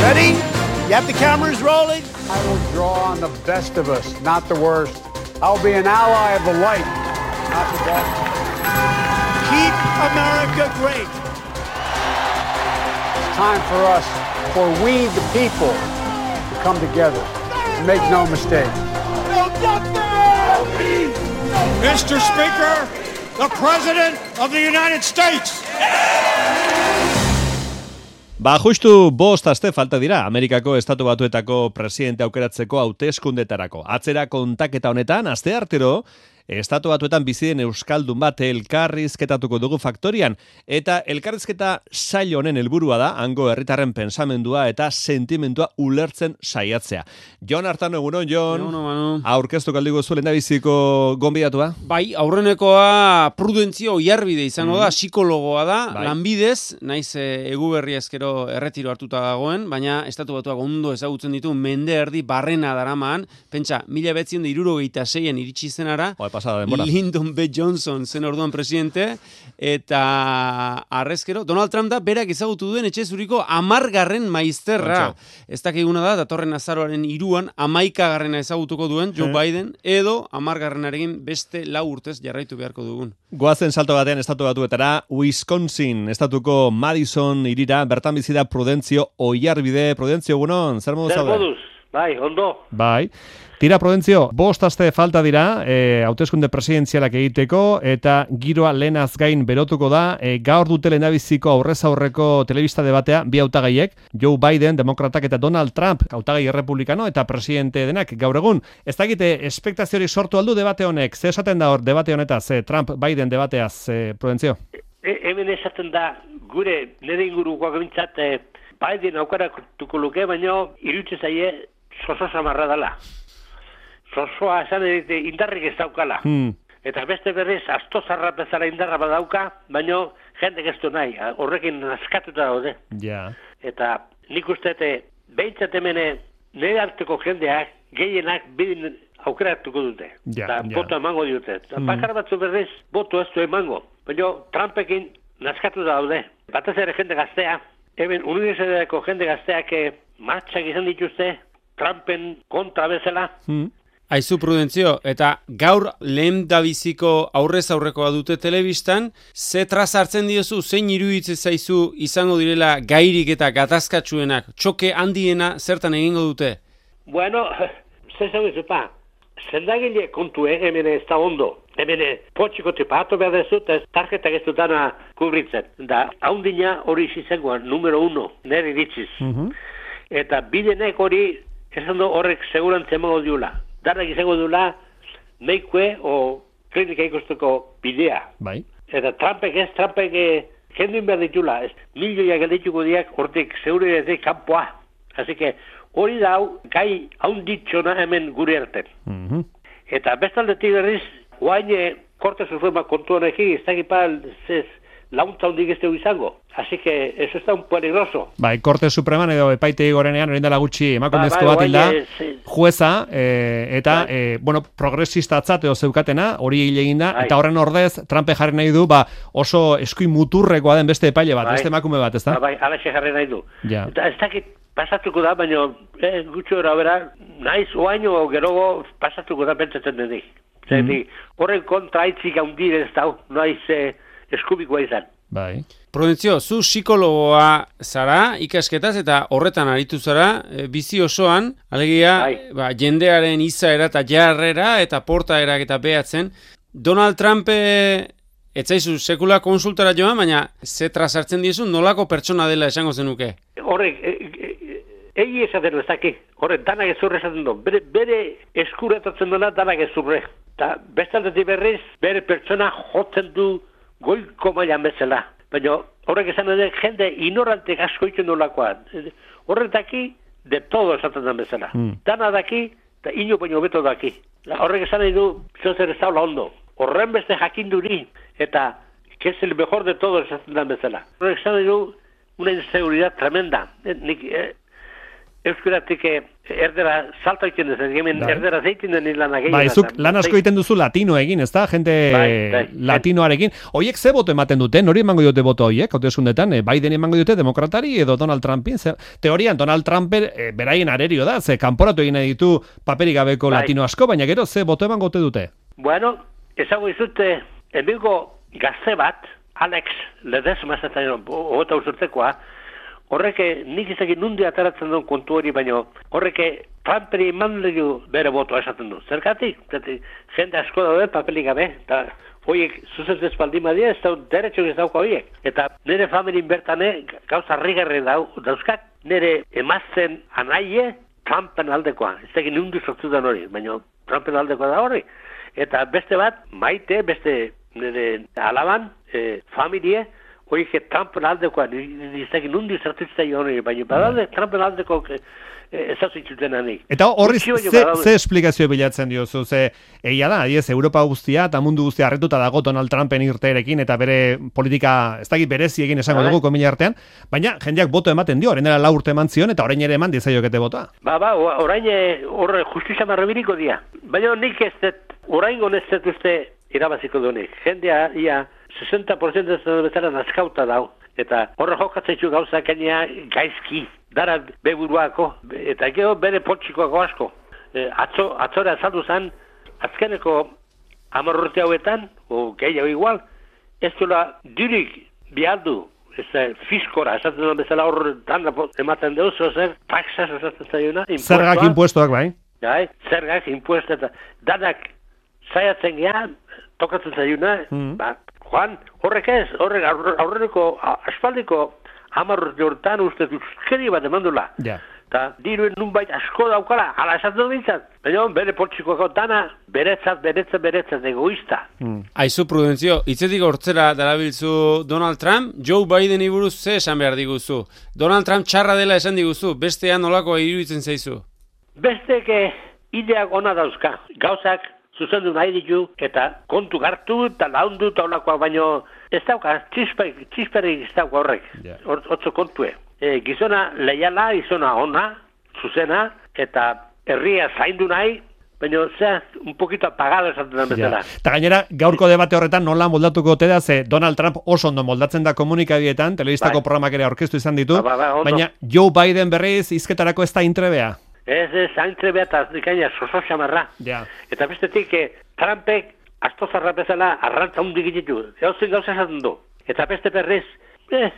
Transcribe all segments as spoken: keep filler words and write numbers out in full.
Ready? You have the cameras rolling? I will draw on the best of us, not the worst. I'll be an ally of the light, not the dark. Keep America great. It's time for us, for we the people, to come together. Make no mistake. Mister Speaker, the President of the United States. Ba, justu bost aste falta dira Amerikako Estatu Batuetako presidente aukeratzeko hauteskundetarako. Atzera kontaketa honetan, aste artero, Estatu Batuetan bizi den euskaldun bat elkarrizketatuko dugu Faktorian, eta elkarrizketa sail honen helburua da hango herritarren pensamendua eta sentimentua ulertzen saiatzea. Jon Artano, egunon, Jon. Egunon, Manu. Aurkeztu kaldigu zuen lehendabiziko gonbidatua? Bai, aurrenekoa prudentzio oiarbide izango da, psikologoa da, Bai. lanbidez, naiz e, eguberri ezkero erretiro hartuta dagoen, baina Estatu Batuak ondo ezagutzen ditu mende erdi barrena daraman, pentsa, mila behatziehun eta hirurogeita seian iritsi zenara, pasada denbora. Lyndon B. Johnson zen orduan presidente, eta arrezkero, Donald Trump da berak ezagutu duen etxe zuriko amargarren maizterra. Ez dakiguna da, datorren azaroaren iruan, amaikagarrena ezagutuko duen Joe Biden, edo amargarrenarekin beste lau urtez jarraitu beharko dugun. Goazen salto batean Estatu Batuetara, Wisconsin, estatuko Madison irira, bertan bizi da Prudentzio Oiarbide. Prudentzio, egunon, zer moduz zaude? Zer moduz, bai, ondo. Bai. Tira, Prudentzio, bost aste falta dira, e, hauteskunde presidenzialak egiteko, eta giroa lehenaz gain berotuko da, e, gaur dute lehendabiziko aurrez aurreko telebista debatea, bi hautagaiek, Joe Biden, demokratak, eta Donald Trump, hautagai errepublikano, eta presidente denak gaur egun. Ez dakite, espektaziorik sortu aldu debate honek, ze esaten da hor debate honetaz, e, Trump-Biden debateaz, e, Prudentzio? E, hemen esaten da, gure nire ingurukoak bintzat, e, Biden aukaratuko luke, baina irutze zaie soso samarra dela. Zozoa esan edite indarrik ez daukala. Hmm. Eta beste berriz, astozarra bezala indarra badauka, baina jendek ez du nahi, horrekin askatuta daude. Ja. Eta nik uste, behintzat hemen nire hartuko jendeak, gehienak bidin aukeratuko dute. Ja, eta ja. boto emango dute. Hmm. Bakar batzu berriz, boto ez du emango. Baina Trumpekin naskatuta daude. Batez ere jende gaztea, hemen unibertsitateko jende gazteak martxak izan dituzte, Trumpen kontra bezala. Hmm. Aizu Prudentzio, eta gaur lehen dabiziko aurrez aurrekoa dute telebistan, ze traz hartzen diozu, zein iruditze zaizu izango direla gairik eta gatazkatsuenak, txoke handiena zertan egingo dute? Bueno, ze zau izupa, zendagile kontue hemen ez da ondo, hemen potxiko tipatu behar dezut, ez tarjetak ez dutana kubritzen, da haundina hori izangoan, numero uno, nire ditziz. Mm-hmm. Eta bidenek hori, esan du horrek segurantze emango diula. Darrak izango duela neikue o klinika ikusteko bidea. Bai. Eta Trumpek ez, Trumpek jenduen behar ditula. Milioiak eldituko diak hortik segure ez kanpoa. Así que hori da hau gai haunditxona hemen gure erten. Mm-hmm. Eta bestaldetik berriz, guain Korte Suprema kontu honekin, ez dakipal zez launtza hundik ez dugu izango. Así que eso está un peligroso. Bai, Korte Supreman edo epaitegi gorenean, orain dela gutxi emakumezko ba, bat hilda, sí. jueza, e, eta, ba. e, bueno, progresistatzat edo zeukatena, hori hile eginda, ba. Eta horren ordez, Trumpe jarri nahi du, ba, oso eskuin muturrekoa den beste epaile bat, ba. Beste emakume bat, ez da? Ba, bai, alaxe jarri nahi du. Ja. Eta ez dakit pasatuko da, baina eh, gutxo era bera, naiz oaino gerogo pasatuko da pentsatzen denik. Mm-hmm. Horren kontra aitzik haundir ez da, naiz eh, eskubikoa izan. Bai. Prudentzio, zu psikologoa zara, ikasketaz eta horretan aritu zara, e, bizi osoan, alegia, ba, jendearen izaera eta jarrera eta portaerak eta behatzen. Donald Trump etzaizu sekula konsultara joan, baina ze trazartzen diezu nolako pertsona dela esango zenuke? Horrek, egi esaten ez daki, horrek danak ezurre esaten du, bere, bere eskuretatzen duena danak ezurre. Eta bestaldetik berriz, bere pertsona jotzen du goiko mailan bezala. Baina horrek esan edo jende ignorantek asko itzen nolakoa. Horrek daki, de todo esaten den bezala. Mm. Dana daki, eta ino baino beto daki. Horrek esan edo, zozer ez daula ondo. Horren beste jakinduri, eta que es el mejor de todo esaten den bezala. Horrek esan edo, una inseguridad tremenda. Nik, eh, euskaratik erdera salta egiten dut, hemen erdera zeitin den lanak egin. Bai, zuk lan asko egiten duzu latino egin, ez da? Jente bai, bai, latinoarekin. Oiek ze boto ematen dute? Nori emango dute boto horiek? Hauteskundetan, Biden emango dute demokratari edo Donald Trumpin? Ze, teorian, Donald Trump e, beraien arerio da, ze kanporatu egin ditu paperik gabeko bai. Latino asko, baina gero ze boto emango dute? Bueno, ezago izute, enbilgo gazte bat, Alex Ledesma zaten, hogeta usurtekoa, horreke nik izakin nundi ataratzen duen kontu hori, baino horreke Trumperi eman dugu bere botoa esaten du. Zergatik? Jende asko daude papelik gabe, eta horiek zuzentez baldin badia, ez da deretxo ez dauka horiek. Eta nire familien bertane gauza rigarri dau, dauzkak, nire emazten anaie Trumpen aldekoa. Ez da nundi sortu den hori, baina Trumpen aldekoa da hori. Eta beste bat, maite, beste nire alaban, e, familie, horiek Trumpen aldekoa, niztekin nundi zertutzea hori, baina badalde Trumpen aldeko ezazuitzuten anik. Eta horri ze, ze esplikazio bilatzen diozu, ze egia da, adiez, Europa guztia eta mundu guztia harretuta dago Donald Trumpen irteerekin eta bere politika, ez dakit berezi egin esango dugu komila artean, baina jendeak boto ematen dio, orain dela lau urte eman zion eta orain ere eman dizaiokete botoa. Ba, ba, orain horre justizia marrabiriko dia. Baina nik ez dut, orain goneztet uste irabaziko duenik. Jendea, ia, sesenta por ciento ez bezala nazkauta dau. Eta horre jokatzeitu gauza kenia gaizki, dara beburuako, eta gero bere potxikoako asko. E, atzo, atzora azaldu zen, azkeneko amorrute hauetan, o gehiago igual, ez duela dirik bialdu, ez da fiskora, esaten duen bezala horre dana ematen deuz, zer, taxas esaten zaiuna. Zergak impuestoak, bai? Bai, zergak impuesto, eta danak zaiatzen gehan, tokatzen zaiuna, mm. ba, Juan, horrek ez, horrek aurreneko, aspaldiko hamarrute hortan uste euskeri bat emandula. Ja. Eta diruen nunbait asko daukala, ala esaten dut bintzat. Baina bere poltsikoako dana, beretzat, beretzat, beretzat, egoista. Hmm. Aizu, Prudentzio, hitzetik hortzera darabilzu Donald Trump, Joe Biden iburuz ze esan behar diguzu? Donald Trump txarra dela esan diguzu, bestean nolako iruditzen zaizu? Besteke ideak ona dauzka, gauzak zuzendu nahi ditu, eta kontu gartu, eta laundu, eta olakoa, baino ez dauka, txisperik ez dauka horrek, yeah. Otso kontue. E, gizona leiala, gizona ona, zuzena, eta herria zaindu nahi, baina zea, un poquito apagado esaten da bezala. Eta gainera, gaurko debate horretan nola moldatuko ote da, ze Donald Trump oso ondo moldatzen da komunikabietan, telebistako bai. Programak ere aurkeztu izan ditu, ba, ba, ba, baina Joe Biden berriz izketarako ez da intrebea. Ez, ez, haintzebea eta gaina soso xamarra. Ja. Eta bestetik, eh, Trumpek astozarra bezala arrantza hundik ditu. Eozin gauza esaten du. Eta beste berriz, eh,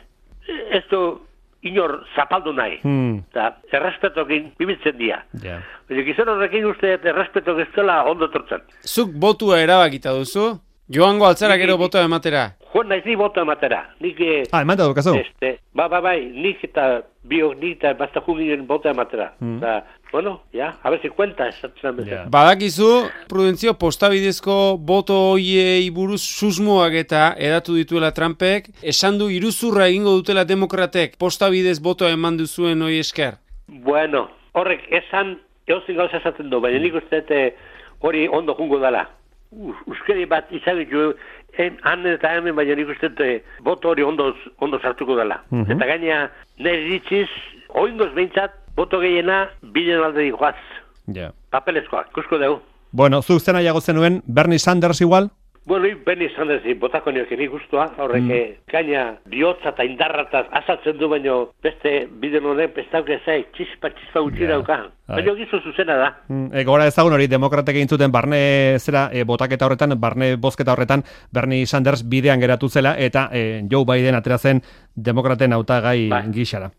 ez du inor zapaldu nahi. Hmm. Eta errespetokin bibitzen dira. Ja. Baina gizon horrekin uste errespetok ez dela ondo tortzen. Zuk botua erabakita duzu? Joango altzara gero botoa ematera? Joan naiz ni botoa ematera. Nik, ah, emata dukazu? Este, ba, ba, bai, nik eta bio, nik eta basta juginen botoa ematera. Hmm. Da, bueno, ja, a ver si cuenta. Yeah. Badakizu, Prudentzio, postabidezko boto hoiei buruz susmoak eta edatu dituela Trumpek, esan du iruzurra egingo dutela demokratek, postabidez botoa eman duzuen hoi esker? Bueno, horrek esan, eozin gauza esaten du, baina nik uste hori ondo jungo dela. Euskeri bat izagitu, han eta hemen baina nik uste boto hori ondo, ondo sartuko dela. Mm-hmm. Eta gaina, nire ditziz, oingoz behintzat, boto gehiena biden alde dikoaz. Yeah. Papelezkoak, kusko dugu. Bueno, zuk zena jago zenuen, Bernie Sanders igual? Bueno, Bernie Sanders botako nioke nik guztua, horrek mm. gaina bihotza eta indarrataz asaltzen du, baino beste biden honek bestauke zai, txispa, txispa gutxi yeah. dauka. Baina gizu zuzena da. Mm, e, gora ezagun hori, demokratek egin zuten barne zera, e, botaketa horretan, barne bozketa horretan, Bernie Sanders bidean geratu zela, eta e, Joe Biden atera zen demokraten hautagai bai. Gixara.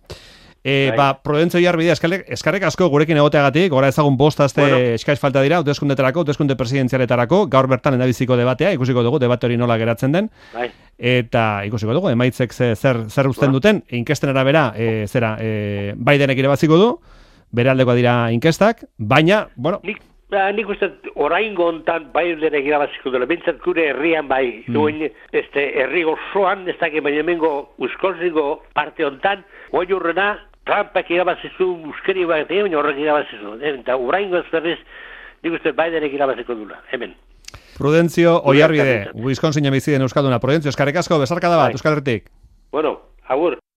E, ba, Prudentzio Iarbide, eskarrek asko gurekin egoteagatik, gora ezagun bost aste bueno. Eskaiz falta dira, hauteskundetarako, hauteskunde presidenzialetarako, gaur bertan endabiziko debatea, ikusiko dugu, debate hori nola geratzen den, bai. Eta ikusiko dugu, emaitzek zer, zer uzten bueno. Duten, inkesten arabera, e, zera, e, Bidenek ere baziko du, bere aldeko dira inkestak, baina, bueno... Nik, ba, nik uste, orain gontan Bidenek irabaziko dela, bintzat gure herrian bai, mm. duen, este, herrigo zoan, ez dakit, baina emengo, uskolziko parte hontan, goi urrena, Trumpak irabazizu, euskeri bat, baina horrek irabazizu. Eta uraingo ez berriz, nik uste Bidenek irabaziko dula, hemen. Prudentzio Oiarbide, Wisconsin biziden euskalduna. Prudentzio, eskarrik asko, besarkada bat, Euskal Herritik. Bueno, agur.